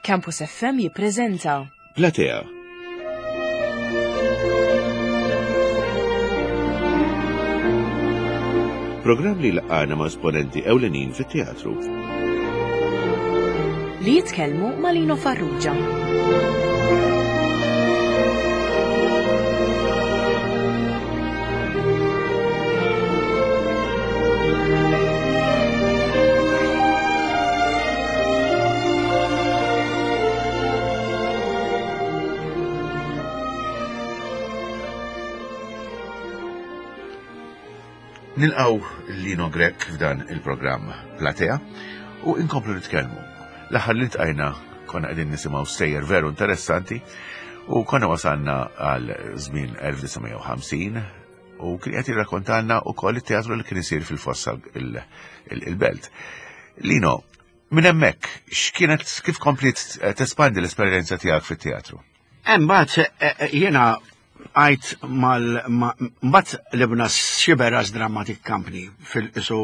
Campus FM jippreżenta Platea. Programm li laqgħana ma' esponenti ewlenin fit-teatru. Li jitkellmu ma' Lino Farrugia. Nilqaw Lino Grek f'dan il-programm Platea u inkomplu nitkellmu. L-aħħar li tqajna konna qegħdin nisimgħu stejjer veru interessanti u konna wasalna għal żmien 1950 u kien qed jirrakkontalna wkoll it-teatru li kien isir fil-fossa il-belt. Lino, minn hemmhekk x'kienet kif kompliet eh, tespandi l-esperjenza tiegħek fit-teatru? Imbagħad eh, eh, jiena għajt mal mbagħad libna Xiberas Dramatic Company fil-isu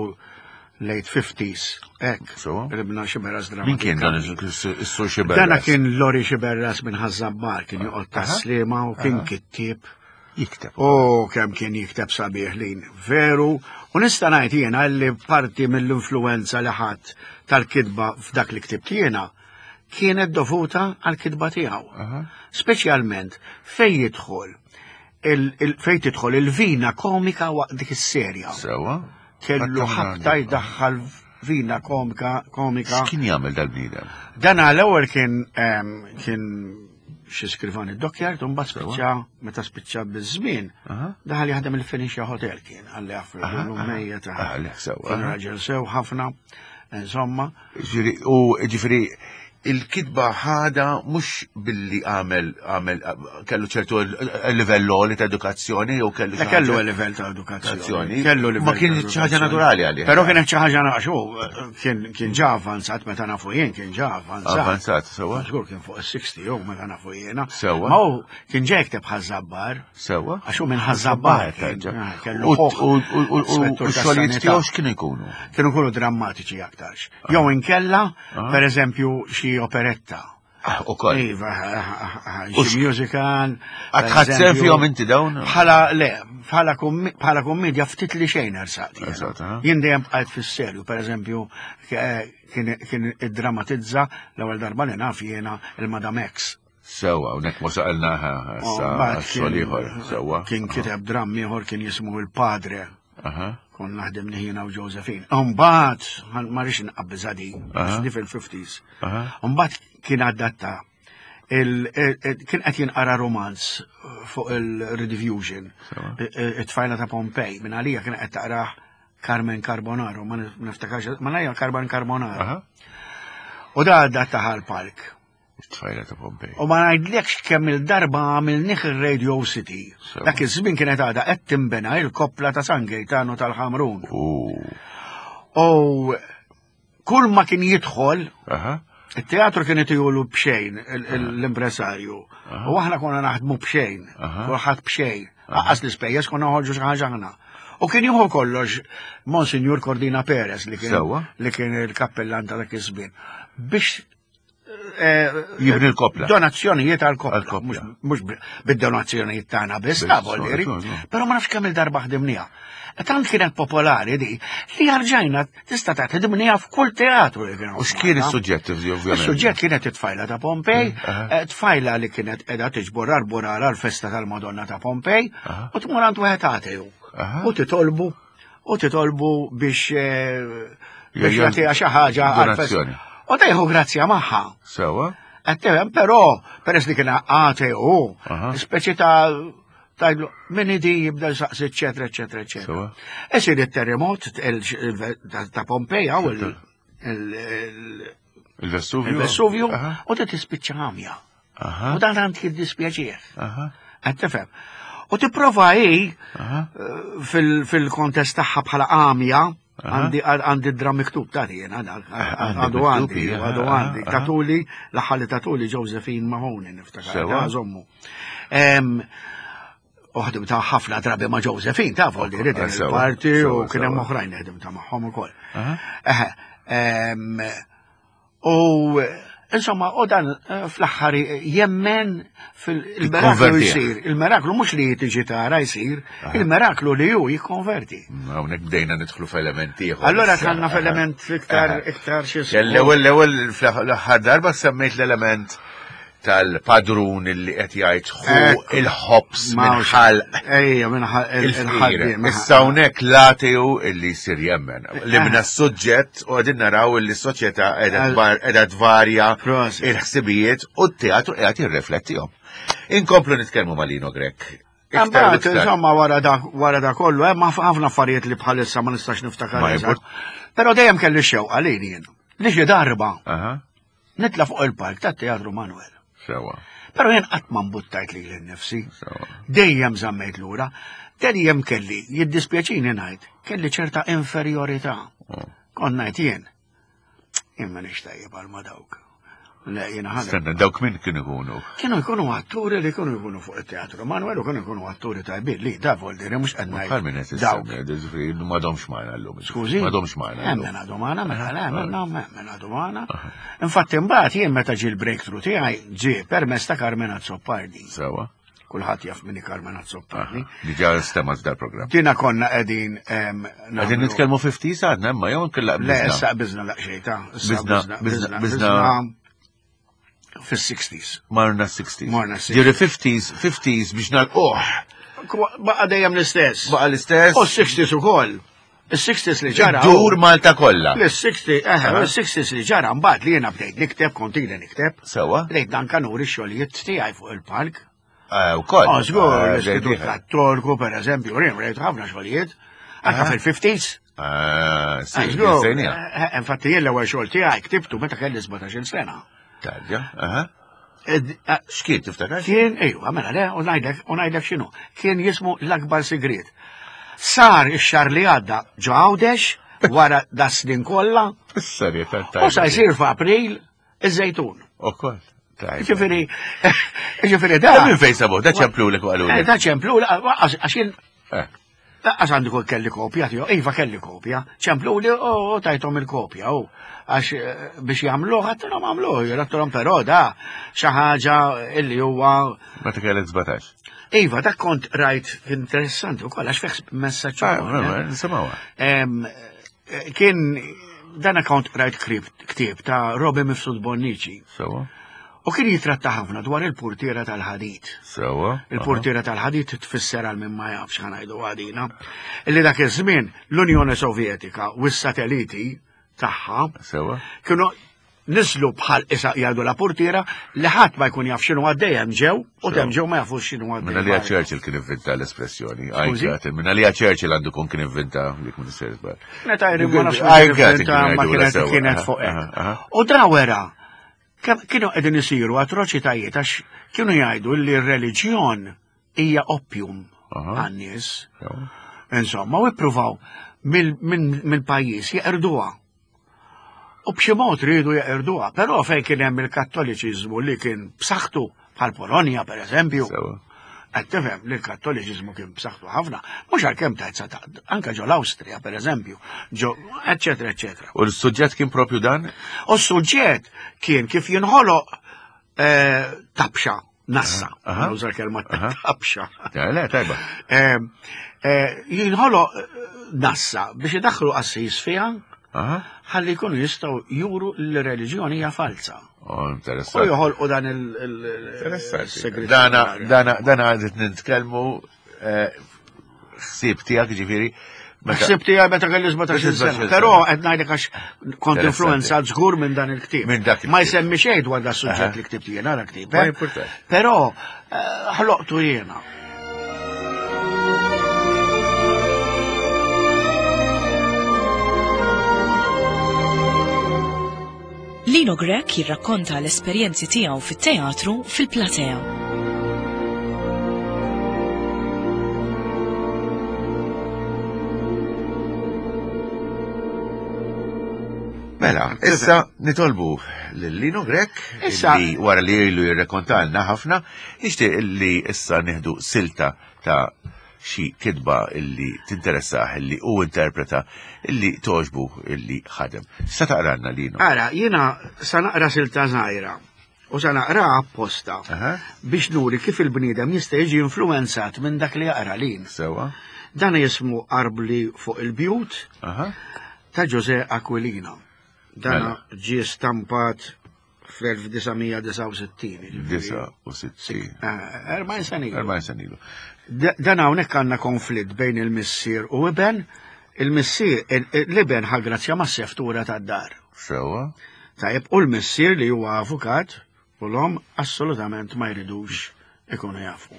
late 50s. Ek, libna Xiberas Dramatic Min kien dan is-sur Xiberas? Dana kien Lori Xiberas minn Ħażabbar, kien joqgħod tas-Sliema u kien kittieb. Jikteb. U kemm kien jikteb sabiħ lin, veru, u nista' ngħid jiena li parti mill-influenza li ħadd tal-kitba f'dak li ktibt jiena kienet dovuta għal-kitba tiegħu. Speċjalment fejn jidħol fejn tidħol il-vina komika waqt dik is-serja. Sewa. Kellu ħabta jdaħħal vina komika komika. X'kien jagħmel dal-bniedem? Dan għal-ewwel kien kien xi skrivan id-dockyard u mbagħad spiċċa meta spiċċa biż-żmien daħal jaħdem il-Phoenicia Hotel kien għalli jafu llum mejjet. Kien raġel sew ħafna, insomma. U ġifieri il-kitba ħada mhux billi għamel għamel kellu ċertu livell li ta' edukazzjoni jew kellu kellu livell ta' edukazzjoni. Kellu livell. Ma kien xi ħaġa naturali għalih. Però kienet xi ħaġa naqxu kien kien ġa avvanzat meta nafu jien kien ġa avvanzat. Avvanzat, sewa. Żgur kien fuq is-60 jew meta nafu jiena. Sewa. Ma hu kien ġa jikteb ħażabbar. Sewa. Għax hu minn ħażabbar. Kellu U xogħlijiet tiegħu x'kienu jkunu? Kienu jkunu drammatiċi aktarx. Jew inkella, per eżempju, xi operetta. Ah, u koll. Iva, ah, ah, xi musical. Għatħat sem fihom inti dawn? Bħala, le, bħala kommedja ftit li xejn ersaqt. Jien dejjem bqajt fis-serju, per eżempju, eh, kien iddramatizza l-ewwel darba li naf jiena il-Madam X. Sewa, unek ma saqalna xogħol ieħor, sewa. Kien kiteb dramm ieħor kien jismu il-Padre. Kon naħdem jiena u Josephine. Mbagħad, ma rix nqabbiżha di, di fil-50s. Mbagħad kien adatta kien qed jinqara romanz fuq il-Rediffusion, it-tfajla ta' Pompej, minn għalija kien qed taqrah Carmen Carbonaro, ma niftakarx, ma najja Carmen Carbonaro. U da adatta l-palk. Tfajla ta' Pompej. U ma ngħidlekx kemm il-darba għamilnih ir-Radio City. Dak iż-żmien kienet għadha qed tinbena il-koppla ta' San Gaetano tal-Ħamrun. U kull ma kien jidħol, it-teatru kien itijulu b'xejn l-impresarju. U aħna konna naħdmu b'xejn, kulħadd b'xejn. Aqqas l-ispejjeż konna noħorġu xi ħaġa aħna. U kien jieħu kollox Monsignor Cordina Perez li kien li kien il-kappellan ta' dak iż-żmien. Biex Eh, jibni l-kopla. Donazzjonijiet għal-kopla. Mux bid-donazzjonijiet tagħna biss, ta' voldiri. Però ma nafx kemm il-darba ħdimniha. Tant kienet popolari di, li rġajna tista' tagħti ħdimniha f'kull teatru li kien. U x'kien is-suġġett ovvjament? Is-suġġett kienet it-tfajla ta' Pompej, mm, eh, tfajla li kienet qiegħda tiġbor arborara l-festa tal-Madonna ta' Pompej, u tmur għand wieħed ateju. U titolbu u titolbu biex eh, biex jagħtiha xi ħaġa għal U dejħu grazzja magħha. Sewa. Qed però peress li kien għate u speċi ta' tajdlu min idi jibda jsaqsi eċetera eċetera eċetera. Isir it-terremot ta' Pompeja u il-Vesuvju. Il-Vesuvju u tispiċċa għamja. U dan għand jiddispjaċih. Qed tifhem. U tipprova hi eh, fil-kontest tagħha bħala għamja, għandi għandi dram miktub ta' jiena għadu għandi, għadu għandi. Tatuli, l-aħħar li tatuli Josephine Mahoney niftakar, żommu. U ħdim ta' ħafna drabi ma' Josephine, ta' volli rid il-parti u kien hemm oħrajn ħdim ta' magħhom ukoll. U. Insomma, u dan eh, fl-aħħar jemmen fil-meraklu jsir. Il-meraklu mhux li tiġi tara jsir, il-meraklu li hu jikkonverti. Mm, hawnhekk bdejna nidħlu f'element ieħor. Allora tħallna f'element iktar iktar xi. L-ewwel l-ewwel fl-aħħar darba semmejt l-element tal-padrun li qed jgħid ħu il-ħobs minn ħalq. Ejja, minn ħalq il-ħaddiem. Issa hawnhekk l-ateu illi jsir jemmen. Li minn suġġett u qegħdin naraw illi s-soċjetà qiegħda tvarja il-ħsibijiet u t-teatru qiegħed jirriflettihom. Inkomplu nitkellmu ma' Lino Grech. Imbagħad, insomma, wara da wara da kollu, hemm ħafna affarijiet li bħalissa ma nistax niftakar. Però dejjem kelli xewqa lili jien. Li xi darba Nitla' fuq il-palk tat-Teatru Manuel. Sewa. Però jien qatt ma mbuttajt lili nnifsi. Sewa. Dejjem żammejt lura. Dejjem kelli, jiddispjaċini ngħid, kelli ċerta inferjorità. Oh. Kont ngħid jien. Jien m'iniex tajjeb għal ma dawk. Le, jiena ħana. Stenna, dawk min kienu jkunu? Kienu jkunu atturi li kienu jkunu fuq it-teatru. Manuel u kienu jkunu atturi tajbin li da voldiri mhux qed ngħid. Bħal min qed Dawk. issemmi, m'għadhomx magħna llum. Skużi? M'għadhomx magħna. Hemm min għadu magħna, mela le, hemm hemm min għadu magħna. Infatti imbagħad jien meta ġie l-breakthrough tiegħi ġie permezz ta' Carmen Azzopardi. Sewa. Kulħadd jaf min hi Carmen Azzopardi. Diġà stema f'dal programm. Dina konna qegħdin Qegħdin nitkellmu 50 għadna imma jew nkella Le, issa qbiżna laqxejn ta' issa Biżna, biżna, biżna. fis-60s. Marna 60s. Marna 60s. Ġieri 50s, 50s biex nalquh. Baqa dejjem l-istess. Baqa l-istess. U 60s ukoll. Is-60s li ġara. Dur Malta kollha. L-60, eh, l-60s li ġara mbagħad li jiena bdejt nikteb, kont ili nikteb. Sewa. Bdejt anka nuri x-xogħlijiet tiegħi fuq il-palk. Eh, ukoll. Oh, żgur, Eh, l-Istitut ġejt Kattoliku, per eżempju, rejt ħafna xogħlijiet. Anka fil-50s. Ah, sì, Ah, żgur. sejnija. Eh, Infatti jien l-ewwel xogħol tiegħi ktibtu meta kelli 17-il sena. Tajja, aha. Eh, X'kien tiftakar? Kien, ejwa, mela le, u ngħidlek, u ngħidlek x'inhu. Kien jismu l-akbar sigriet. Sar ix-xahar li għadda ġo Għawdex wara da snin kollha Is-serjetà u sa jsir f'April iż-Żejtun. Ukoll. Tajba. Ġifieri, ġifieri da. Da minn fejn sabuh, da ċemplulek u qalulek. Eh, Da ċemplu, għax jien Eh. Laqqas għandi kull kelli kopja tiegħu, iva kelli kopja, ċempluli u tajthom il-kopja u għax eh, biex jagħmluh għattilhom għamluh, għattilhom però da xi ħaġa illi huwa Meta kellek 17. Iva, dak kont rajt interessanti wkoll għax fih messaġġ Ah, ukoll, eh. Nisimgħuha. Eh, Kien dan account rajt ktieb ta' Robi Mifsud Bonnici. Sewa. U kien jitratta ħafna dwar il-purtiera tal-ħadid. Sewa. Il-purtiera tal-ħadid tfisser għal min ma jafx ħanajdu għadina. Illi dak iż-żmien l-Unjoni Sovjetika u s-satelliti tagħha Sewa. kienu niżlu bħal isa jgħidu la purtiera li ħadd ma jkun jaf x'inhu għaddej hemm ġew u hemm ġew ma jafux x'inhu għaddej. Minna li Churchill kien inventa l-espressjoni. Skużi? Minna li Churchill għandu kun kien inventa dik minn sejr żball. Meta jri ma nafx I got it, ma kienu kienet jgħidu la kienet sewa. fuq Aha, hekk. aha. U da wera kienu qegħdin isiru atroċitajiet għax kienu jgħidu li r-reliġjon hija opium Aha. għan-nies. Sewa. Insomma, u ippruvaw mill-pajjiż jeqirduha. U b'xi mod riedu jeqirduha, però fejn kien hemm il-Kattoliċiżmu li kien b'saħħtu bħal Polonja pereżempju. Sewa. Qed tifhem li l-Kattoliċiżmu kien b'saħħtu ħafna, mhux għalkemm tajt sa ta' anke ġo l-Awstrija pereżempju, ġo eċetera eċetera. U l-suġġett kien propju dan? U s-suġġett kien kif jinħoloq eh, tabxa, nassa, Aha. nuża l-kelma Aha. tabxa. Le, tajba. Eh, eh, Jinħoloq nassa biex idaħħlu qassis fiha Aha. ħalli jkunu jistgħu juru li l-reliġjoni hija falsa. Oh, U interessanti. joħolqu dan Interessanti. il-segret. Dana, dana, dana għadet nitkellmu eh, ħsieb tiegħek ġifieri. meta- Ħsib tiegħi meta kelli 17 sena, 17 però qed ngħidlek għax kont Interessanti. influenzat żgur minn dan il-ktieb. Minn dak il-ktieb. Ma jsemmi xejn dwar da suġġett Aha. li ktibt jiena dak ktieb. Ma eh. jimpurtax. Però eh, ħloqtu jiena. Lino Grech jirrakkonta l-esperjenzi tiegħu fit-teatru fil-platea. Mela, issa nitolbu lil Lino Grech Issa- li wara li ilu jirrekontalna ħafna, nixtieq li issa nieħdu silta ta' xi kitba illi tinteressah illi u interpreta illi toġbu illi ħadem. Sa taqranna linu. Ara, jiena sa naqra silta żgħira u sa naqra apposta biex nuri kif il-bniedem jista' jiġi influenzat minn dak li jaqra lin. Sewa. Dan jismu Arbli fuq il-bjut ta' Jose Aquilina. Dan mela. ġie stampat fl-1969. 69. 40 sena ilu. 40 sena ilu. Dan hawnhekk għandna konflitt bejn il-missier u iben, il-missier l-iben ħa grazzja mas-seftura tad-dar. Sewa. Tajjeb, u l-missier li huwa avukat u l-om assolutament ma jridux ikunu jafu.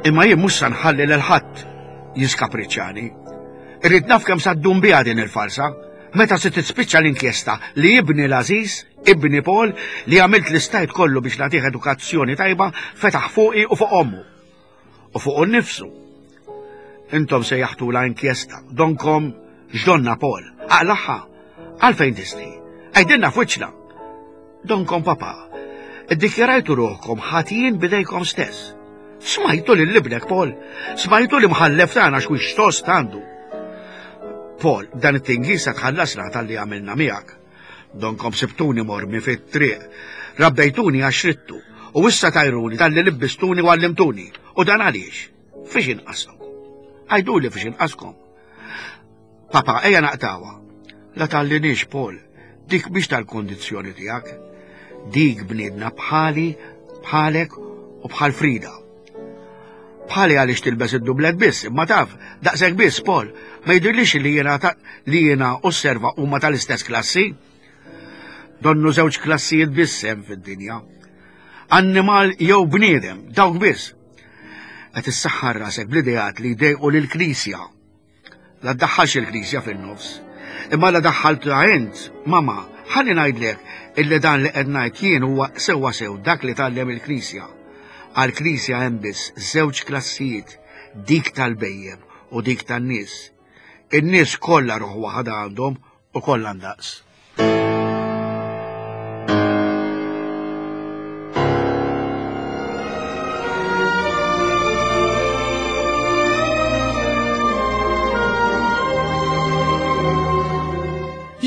Imma jien mhux sa nħalli lil ħadd jiskapriċċani. Irrid naf kemm sa ddum biha din il-farsa. Meta se tispiċċa l-inkjesta li ibni l-għażiż, ibni Paul, li għamilt li stajt kollu biex nagħtih edukazzjoni tajba, fetaħ fuqi u fuq ommu. U fuqu nnifsu. Intom sejjaħtulha inkjesta, donkom x'donna Paul, aqlaħħa, għalfejn tistħi, għidilna f'wiċċna. Donkom papà, iddikjarajtu ruħkom ħatijin b'idejkom stess. Smajtu lil ibnek Paul, smajtu li mħallef tagħna x'wix tost għandu. Paul, dan it-tingi se tħallasna tal-li għamilna miegħek. Donkom sibtuni mormi fit-triq, rabbejtuni għax ridtu, u issa tajruni talli libbistuni u għallimtuni. U dan għaliex? Fiex inqaskom? Għajduli fiex inqaskom. Papa, ejja naqtawa. La tallinix, Paul, dik biex tal-kondizzjoni tiegħek. Dik bniedna bħali, bħalek u bħal Frida. Bħali għaliex tilbes id-dublet biss, imma taf, daqshekk biss, Paul, ma jidhirlix li jiena li jiena u s-serva huma tal-istess klassi. Donnu żewġ klassijiet biss hemm fid-dinja. Annimal jew bniedem, dawk biss. Qed issaħħar rasek bl-ideat li jdejqu lill-Knisja. La ddaħħalx il-Knisja fin-nofs. Imma la daħħaltha int, mama, ħalli ngħidlek illi dan li qed ngħid jien huwa sewwa sew dak li tgħallem il-Knisja. Għall-Knisja hemm biss żewġ klassijiet, dik tal-bhejjem u dik tan-nies. In-nies kollha ruħ waħda għandhom u kollha ndaqs.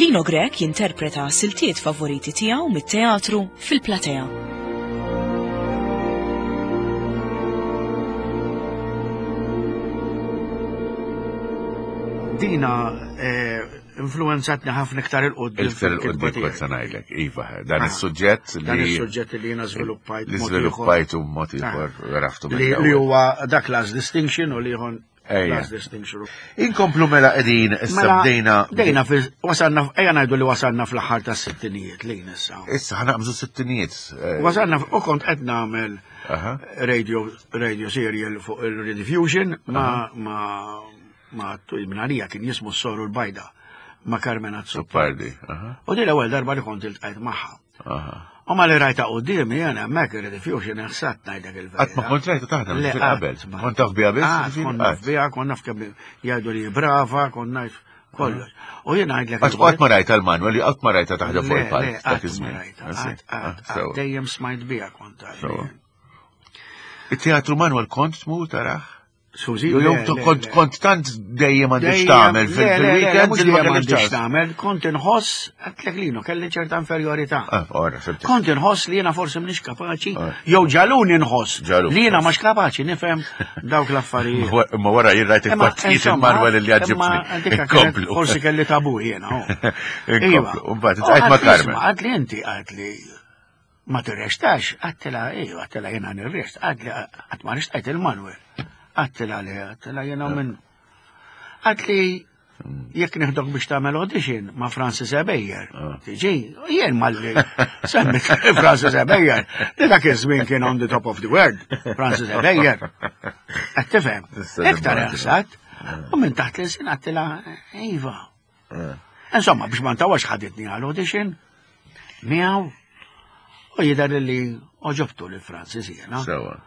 Lino Grech jinterpreta siltiet favoriti tiegħu mit-teatru fil-platea. Dina eh, influenzatni ħafna iktar il-qoddim. Iktar il-qoddim kont se ngħidlek, iva, dan ah, is-suġġett li. Dan is-suġġett li jiena żviluppajt. Li żviluppajt u mod ah. ieħor raftu. Li huwa dak last distinction u li ieħor last distinction. Inkomplu mela qegħdin issa mela, bdejna. Bdejna wasalna ejja ngħidu li wasalna fl-aħħar tas-sittinijiet lejn issa. Issa ħanaqbżu sittinijiet. Eh. Wasalna u kont qed nagħmel radio radio serial fuq il-Rediffusion ma ma ma minn għalija kien jismu s-soru l-bajda ma' Carmen Azzopardi. U din l-ewwel darba li kont iltqajt magħha. U ma li rajta qudiemi jena hemmhekk irid ifjux inħsat ngħidlek il-verità. Qatt ma kont rajta taħdem qabel. Kont taf biha biss? Kont naf biha, kont naf kemm jgħidu li brava, kont ngħid kollox. U jien ngħidlek. Qatt ma rajta l-Manuel, qatt ma rajta taħdem fuq il-palk. Qatt ma rajta. Dejjem smajt biha kont. Il-teatru Manuel kont tmur taraħ? Suzi, kont kont tant dejjem għandix tagħmel fil-weekend li ma għandix tagħmel, kont inħoss għedtlek linu kelli ċerta inferjorità. Ah, kont inħoss li jiena forsi m'iniex kapaċi, ah. jew ġaluni nħoss li jiena mhux kapaċi nifhem dawk l-affarijiet. Ma wara jien rajt il-partit il-Manuel li għaġibni. Forsi kelli tabu jiena. Oh. Iva. Mbagħad tqajt ma' Carmen. Għad li inti għad li Ma tirrextax, għattila, iju, għattila jena nirrext, għadli, għat ma rextajt il-Manuel. Għattila li, għattila jena minn. Għatli, jekk neħdok biex tagħmel audition ma' Francis Ebejer. Ah. Tiġi, jien malli semmit Francis Ebejer. Li dak iż-żmien kien on the top of the world, Francis Ebejer. Qed tifhem. Iktar ħsat, u minn taħt l-sin għattila, iva. Eh. Insomma, biex ma ntawax ħaditni għal audition, miegħu u jidher li oġobtu li Francis jiena. Sewa.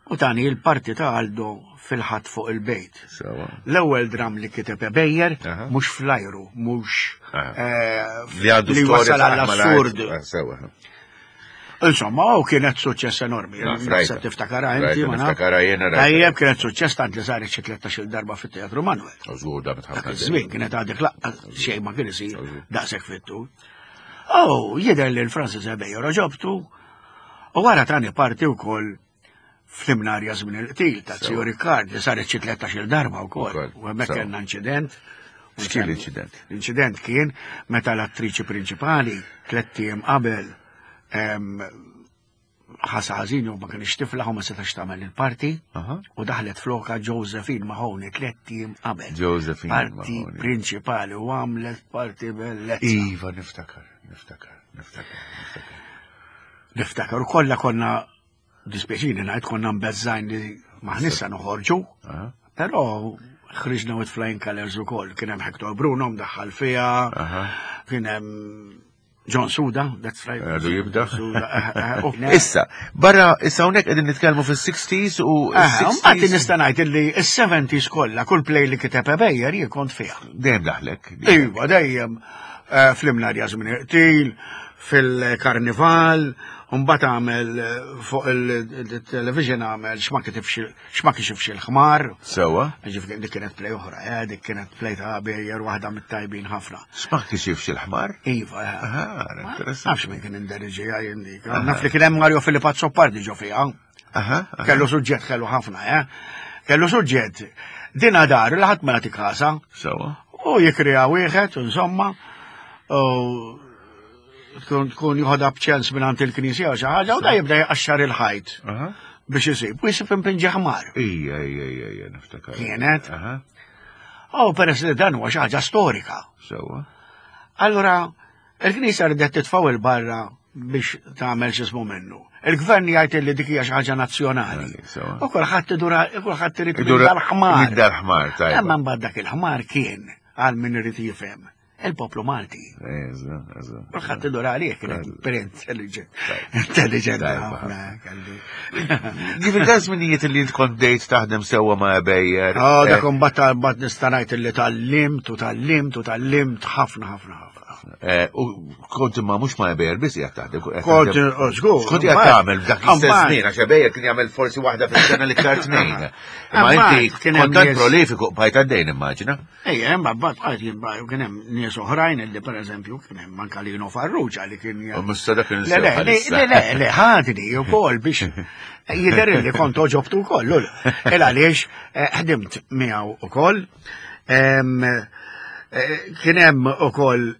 U tani il-parti ta' Aldo fil-ħadd fuq il-bejt. Sewa. L-ewwel dram li kiteb Ebejer, mhux flajru, mhux eh, li għandu li wasal għall-assurd. Eh, sewa. Insomma, u kienet suċċess enormi. Naħseb tiftakara inti, ma niftakara jiena. Tajjeb kienet suċċess tant li saret xi 13-il darba fit-Teatru Manuel. Żgur da ħafna. Żmien kienet għadek laqqa xejn ma kien isir daqshekk fit-tul. Oh, jidher li l-Francis Ebejo roġobtu u wara tani parti wkoll fl-imnarja żmien il-qtil ta' Zio Ricard li saret xi 13-il darba wkoll. U hemmhekk kellna inċident. X'kien l-inċident? L-inċident kien meta l-attriċi prinċipali tlett ijiem qabel ħasa ħażin u ma kienx tiflaħ u ma setax tagħmel il-parti u daħlet floka Josephine Mahoney tlett ijiem qabel. Josephine Parti prinċipali u għamlet parti bellezza. Iva, niftakar, niftakar, niftakar, niftakar. Niftakar, u kollha konna dispjaċini ngħid konna mbeżżajn li maħnissa noħorġu, però ħriġna with flying colors ukoll, kien hemm Hector Bruno mdaħħal fiha, kien hemm John Suda, that's right. Għadu jibda. Eh, eh, issa, barra, issa hawnhekk qegħdin nitkellmu fis-60s u. Għati nista' ngħid illi s-70s kollha kull play li kiteb Ebejer jien kont fiha. Dejjem daħlek. Iva, dejjem eh, fl-imnarja żmien qtil, fil-karnival, mbagħad għamel eh, fuq il-television għamel x'ma kixifx il-ħmar. Sewa. Ġifieri dik kienet play oħra, eh, dik kienet play ta' bejjer waħda mit-tajbin ħafna. X'ma kixifx il-ħmar? Iva. Eh. Nafx minn kien inderiġija jien dik. Naf li kien hemm Mario Filippo Azzopardi ġo fiha. Kellu suġġett kellu ħafna, eh. Kellu suġġett. Dina dar li ħadd ma jagħti kasa. Sewa. U jikriha wieħed, insomma, u tkun tkun joħodha b'ċens minn għand il-knisja u xi ħaġa u da jibda jqaxxar il-ħajt biex isib u jisib impinġi ħmar. Ija, ija, ija, ija, niftakar. Kienet. U peress li dan huwa xi ħaġa storika. Sewa. Allura, il-knisja ridet titfgħu il-barra biex tagħmel x'ismu minnu. Il-gvern jgħid li dik hija xi ħaġa nazzjonali. U kulħadd idura kulħadd irid dal-ħmar. Dal-ħmar, tajba. Imma mbagħad dak il-ħmar kien għal min irid jifhem il-poplu Malti. Kulħadd idur għalih kienet per intelligent. Intelligent ħafna kelli. Ġifieri dan żminijiet li int kont bdejt taħdem sewwa ma' Ebejer. Oh, dak imbagħad mbagħad nista' ngħid li tallimt u tallimt u tallimt ħafna ħafna ħafna. Eh, u kont imma mhux ma' Ebejer biss qiegħed taħdem. Kont oh, żgur. Kont qiegħed tagħmel f'dak l-istess żmien għax Ebejer kien jagħmel forsi waħda fis-sena l-iktar tnejn. Imma inti kont tant prolifiku bħajt għaddejn immaġina. Ejja, hemm mbagħad bqajt jien u kien hemm nies oħrajn illi pereżempju kien hemm anke Lino Farrugia li kien U mista dak Le, le, le, le, le, ħadni wkoll biex jidher li kont oġobtu wkoll. Il għaliex eh, ħdimt miegħu ukoll. Eh, kien hemm ukoll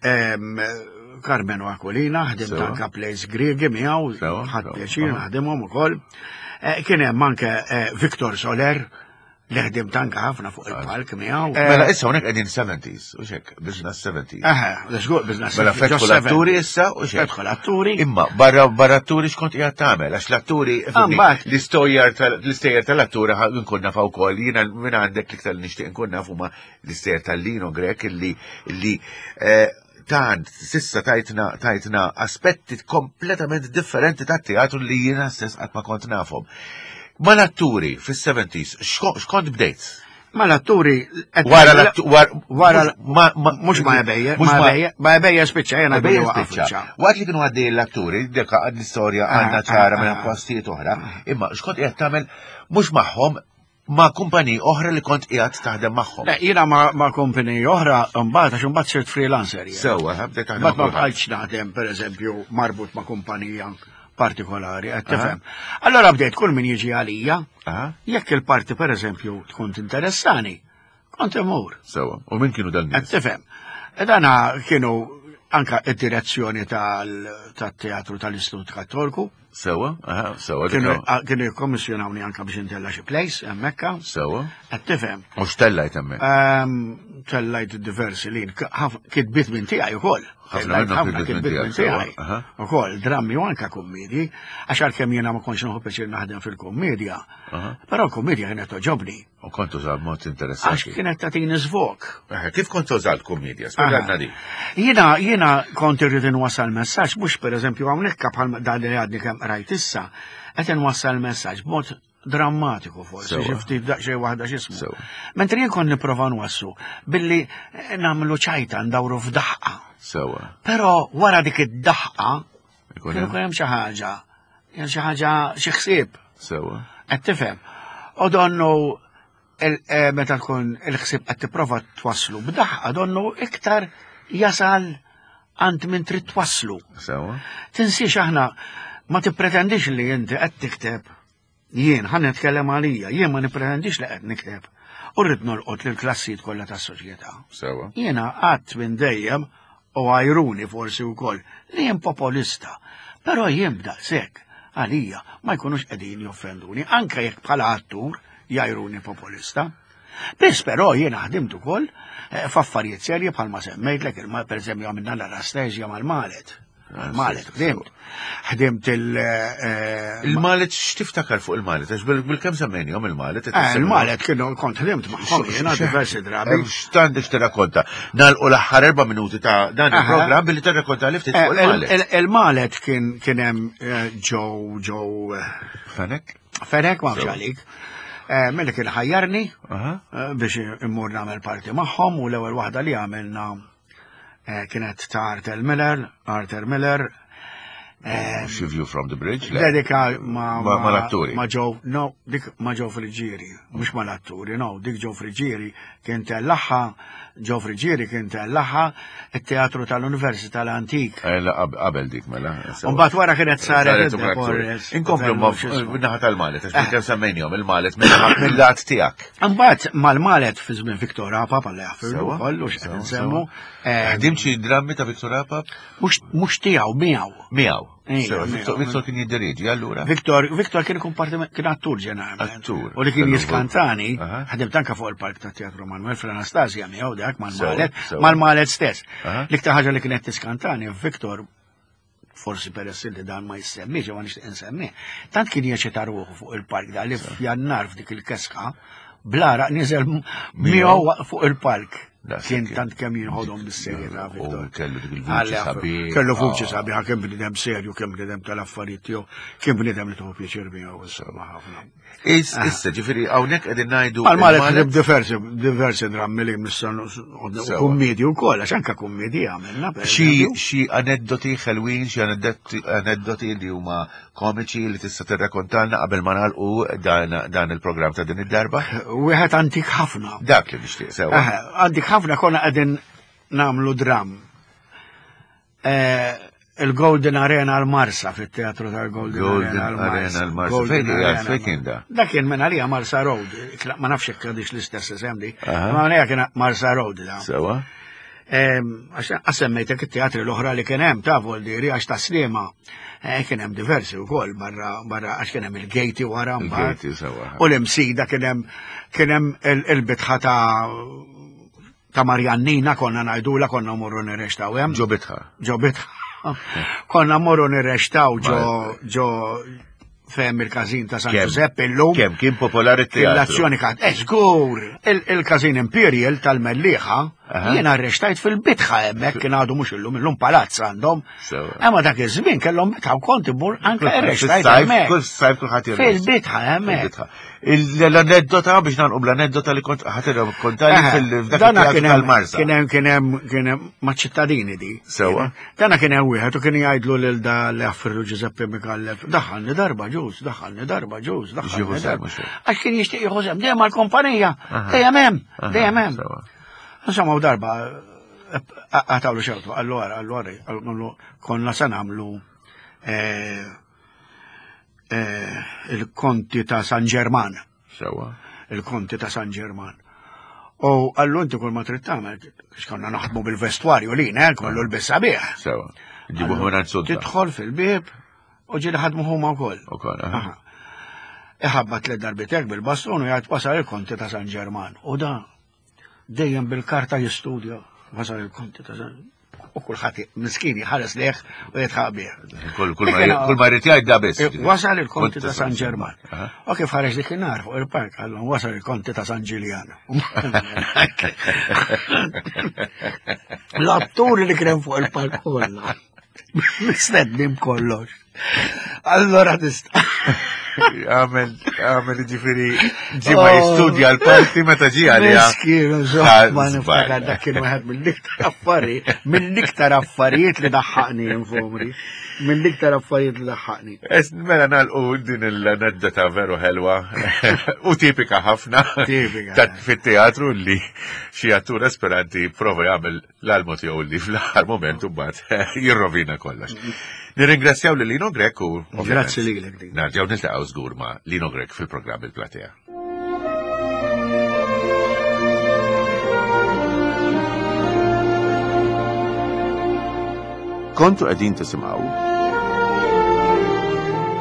Carmeno Aquilina, ħdimt anke plays Griegi miegħu, ħadd pjaċir naħdimhom ukoll. Eh, kien hemm anke Victor Soler, Li ħdimt anka ħafna fuq il-palk miegħu. Mela issa hawnhekk qegħdin 70s, u xek, business 70s. Aha, żgur business. Mela fetħu l-atturi issa u xek. Fetħu l-atturi. Imma barra barra atturi xkont qiegħed tagħmel għax l-atturi l-istorja l-istejjer tal-atturi nkun naf ukoll jiena minn għandek l-iktar li nixtieq nkun naf huma l-istejjer tal-Lino Grek illi illi eh, tant sissa tajtna tajtna aspetti kompletament differenti tat-teatru li jiena stess qatt ma kont nafhom. Mal-atturi fis-70s x'kont bdejt? Mal-atturi wara wara mhux ma ebejja, ma ebejja spiċċa jiena ebejja spiċċa. Waqt li kienu għaddej l-atturi, dik l-istorja ah, għandna ah, ċara minn ah. postijiet oħra, imma x'kont qiegħed tagħmel mhux magħhom ma' kumpaniji oħra li kont qiegħed taħdem magħhom. Le, jiena ma' kumpaniji oħra mbagħad għax imbagħad sirt freelancer. Sewwa, bdejt taħdem. Ma bqajtx naħdem pereżempju marbut ma' kumpanija partikolari, qed tifhem. Allora bdejt kull min jiġi għalija, jekk il-parti pereżempju tkun tinteressani, kont imur. Sewwa, u min kienu dan? Qed tifhem. E dana kienu anka id-direzzjoni tal-teatru tal-Istitut Kattolku. Sewa, aha, sewa. Kienu jikkommissjonawni anka biex intella xi place hemmhekk. Sewa. Qed tifhem. U x'tellajt hemmhekk? Ehm, tellajt diversi lin, kitbiet minn tiegħi ukoll. Ħafna kitbiet minn tiegħi. Ukoll drammi u anka kummedji, għax għalkemm jiena ma kontx nieħu pjaċir naħdem fil-kummedja. Però l-kummedja kienet toġobni. U kont uża mod interessanti. Għax kienet tagħtini żvok. Kif kont uża l-kumedja? Spjegalna di. Jiena jiena kont irrid inwassal messaġġ mhux pereżempju hawnhekk bħal dan li għadni kemm qrajt issa, qed inwassal messaġġ b'mod drammatiku forsi, xi ftit daqsxejn waħda x'ismu. Mentri jien kont nipprova nwassu billi nagħmlu ċajta ndawru f'daħqa. Sewa. Però wara dik id-daħqa, kien hemm xi ħaġa. Xi ħaġa xi ħsieb. Sewa. Qed tifhem. U donnu eh, meta tkun il-ħsieb qed tipprova twasslu b'daħqa donnu iktar jasal għand min trid twasslu. Sewa. Tinsiex aħna ma tippretendix li inti qed tikteb jien ħa nitkellem għalija, jien ma nippretendix li qed nikteb u rrid nolqot lill klassijiet kollha tas-soċjetà. Sewa. Jiena qatt minn dejjem u għajruni forsi wkoll li jien popolista, però jien b'daqshekk għalija ma jkunux qegħdin joffenduni anke jekk bħala attur jgħajruni popolista. Biss però jiena ħdimt ukoll eh, f'affarijiet serji bħalma semmejtlek il pereżempju għamilna l-Anastasia mal-Malet. Mal-Malet ħdimt. Ħdimt il- eh, Il-Malet x'tiftakar fuq il-Malet? Għax bil-kemm semmejnihom il-Malet? Eh, il-Malet kienu kont ħdimt magħhom jiena diversi drabi. X'għandek tirrakkonta? Nagħlqu l-aħħar erba' minuti ta' dan il-programm billi tirrakkonta li ftit fuq il-Malet. Il-Malet kien kien hemm ġew ġew Fenek? Fenek ma għalik. Eh, Milli kien ħajjarni eh, biex immur nagħmel parti magħhom u l-ewwel waħda li għamilna eh, kienet ta' Arthur Miller, Arthur Miller. Xi View from the Bridge? Dedika ma ma l-atturi. Ma ġew, no, dik ma ġew Friġġieri, mhux ma l-atturi, no, dik ġew Friġġieri kien tellaħħa Ġo Friġieri kien tellaħa it-teatru tal-Università l-Antik. Eh, qabel dik mela. Mbagħad wara kienet saret. Inkomplu naħa tal-Malet, għax eh. kemm semmejnihom il-Malet mill-lat tiegħek. Mbagħad mal-Malet fi żmien Viktor Apap għal jaħfirlu wkoll u x'qed insemmu. Eh, Ħdim xi drammi ta' Viktor Apap? Mhux tiegħu miegħu. Miegħu. Viktor kien jiddirieġi allura. Viktor, Viktor kien ikun parti kien attur ġeneralment. Attur. U li kien jiskantani, ħadimt anka fuq il-park ta' Teatru Manuel fl-Anastasia miegħu dak mal-Malet, mal-Malet stess. L-iktar ħaġa li kienet tiskantani, Viktor forsi peress li dan ma jissemmix, ma nixtieq insemmi, tant kien jeċita ruħu fuq il-park da li f'jannar f'dik il-keska, blara niżel miegħu fuq il-park. Kien tant kemm jinħodhom bis-serjetà Viktor. Kellu dik il-vuċi sabiħ. Kellu vuċi ah. sabiħa kemm bniedem serju, kemm bniedem tal-affarijiet tiegħu, kemm bniedem li tieħu pjaċir miegħu insomma ħafna. Ah. Issa ġifieri hawnhekk qegħdin ngħidu. Għal ħdib diversi diversi drammi li nista' kummedji wkoll għax anke kummedji għamilna. Xi aneddoti ħelwin, xi aneddoti li huma komiċi li tista' tirrakontalna qabel ma nagħlqu dan il-programm ta' din id-darba? Wieħed antik ħafna. Dak li nixtieq sewa. Antik ħafna konna qegħdin nagħmlu dram. Eh, il-Golden Arena l-Marsa fit-teatru tal-Golden Arena l-Marsa. Fejn kien da? Dak kien minn għalija Marsa Road. Ma nafx jekk għadix l-istess isem di. Ma għalija kien Marsa Road da. Sewa. Għax semmejtek it-teatri l-oħra li kien hemm ta' Voldiri għax ta' Sliema eh, kien hemm diversi wkoll barra barra għax kien hemm il-gejti wara mbagħad. U l-imsida kien hemm kien hemm il-bitħa ta' ta' Marjannina konna ngħidula konna morru nirrextaw hemm. Ġo bitħa. Ġo bitħa. Konna morru nirrextaw ġo ġo Fem il-każin ta' San Giuseppe illum. Kemm kien popolari t-teatru. L-azzjoni kat, eh, żgur, il-każin Imperial tal-Mellieħa, jien arrestajt fil-bitħa hemmhekk kien għadu mhux illum, illum palazz għandhom. Imma dak iż-żmien kellhom bitħa u kont immur anke arrestajt hemmhekk. Kull sajf kulħadd Fil-bitħa hemmhekk. L-aneddota biex nagħlqu bl-aneddota li kont ħadd kontali fil-dak tal-Marsa. Kien hemm kien hemm kien hemm maċ-ċittadini di. Sewa. Dana kien hemm wieħed u kien jgħidlu lil da li għaffirlu Giuseppe Mikallef, daħħalni darba ġuż, daħħalni darba ġuż, daħħalni darba. Għax kien jixtieq jieħu sehem dejjem mal-kumpanija, dejjem hemm, dejjem hemm. Insomma u darba għatawlu xewtu, għallu għara, għallu għara, għallu konna se nagħmlu eh, eh, il-konti ta' San Ġerman. Sewa. Il-konti ta' San Ġerman. U għallu inti kull ma trid tagħmel, x'konna naħdmu bil-vestwarju li ne, kollu l-bissa bih. Sewa. Ġibu ħuna sodda. Tidħol fil-bib u ġieli ħadmu huma wkoll. Ukoll. Iħabba tliet darbitek bil-bastun u jgħid wasal il-konti ta' San Ġerman. U da dejjem bil-karta jistudja wasal il-konti ta' San U kulħadd miskin jħares leħ u jitħaq bih. Kull ma jrid jgħid da biss. Eh, wasal il-konti ta' San Ġerman. U kif ħareġ dik in-nar fuq il-park għallhom wasal il-konti ta' San Ġiljan. L-atturi li kien fuq il-park kollha. Mistednim kollox. Allora tista' Għamel. Għamel ġifiri ġi ma jistudja l-parti meta ġi għalija. Miskin, ma niftakar dak kien wieħed mill-iktar affarijiet, mill-iktar affarijiet li daħħaqni infomri. Mill-iktar affarijiet li daħħaqni. Mela nagħlqu din l-aneddota veru ħelwa u tipika ħafna. Tipika. Fit-teatru li xi attur esperanti prova jagħmel l-almu tiegħu li fl-aħħar moment u mbagħad jirrovina kollox. Nirringrazzjaw lil Lino Grek u Grazzi lilek. Nerġgħu niltaqgħu żgur ma' Lino Grek fil-programm il-Platea. Kontu qegħdin tisimgħu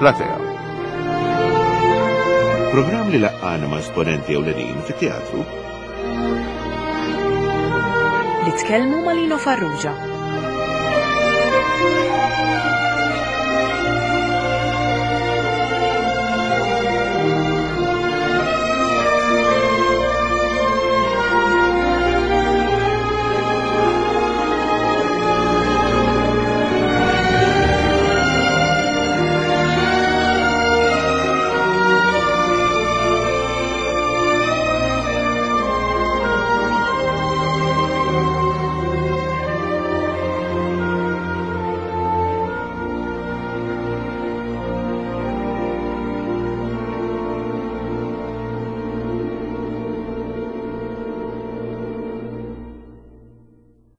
Platea. Programm li laqqana ma' esponenti ewlenin fit-teatru li tkellmu ma' Lino Farrugia.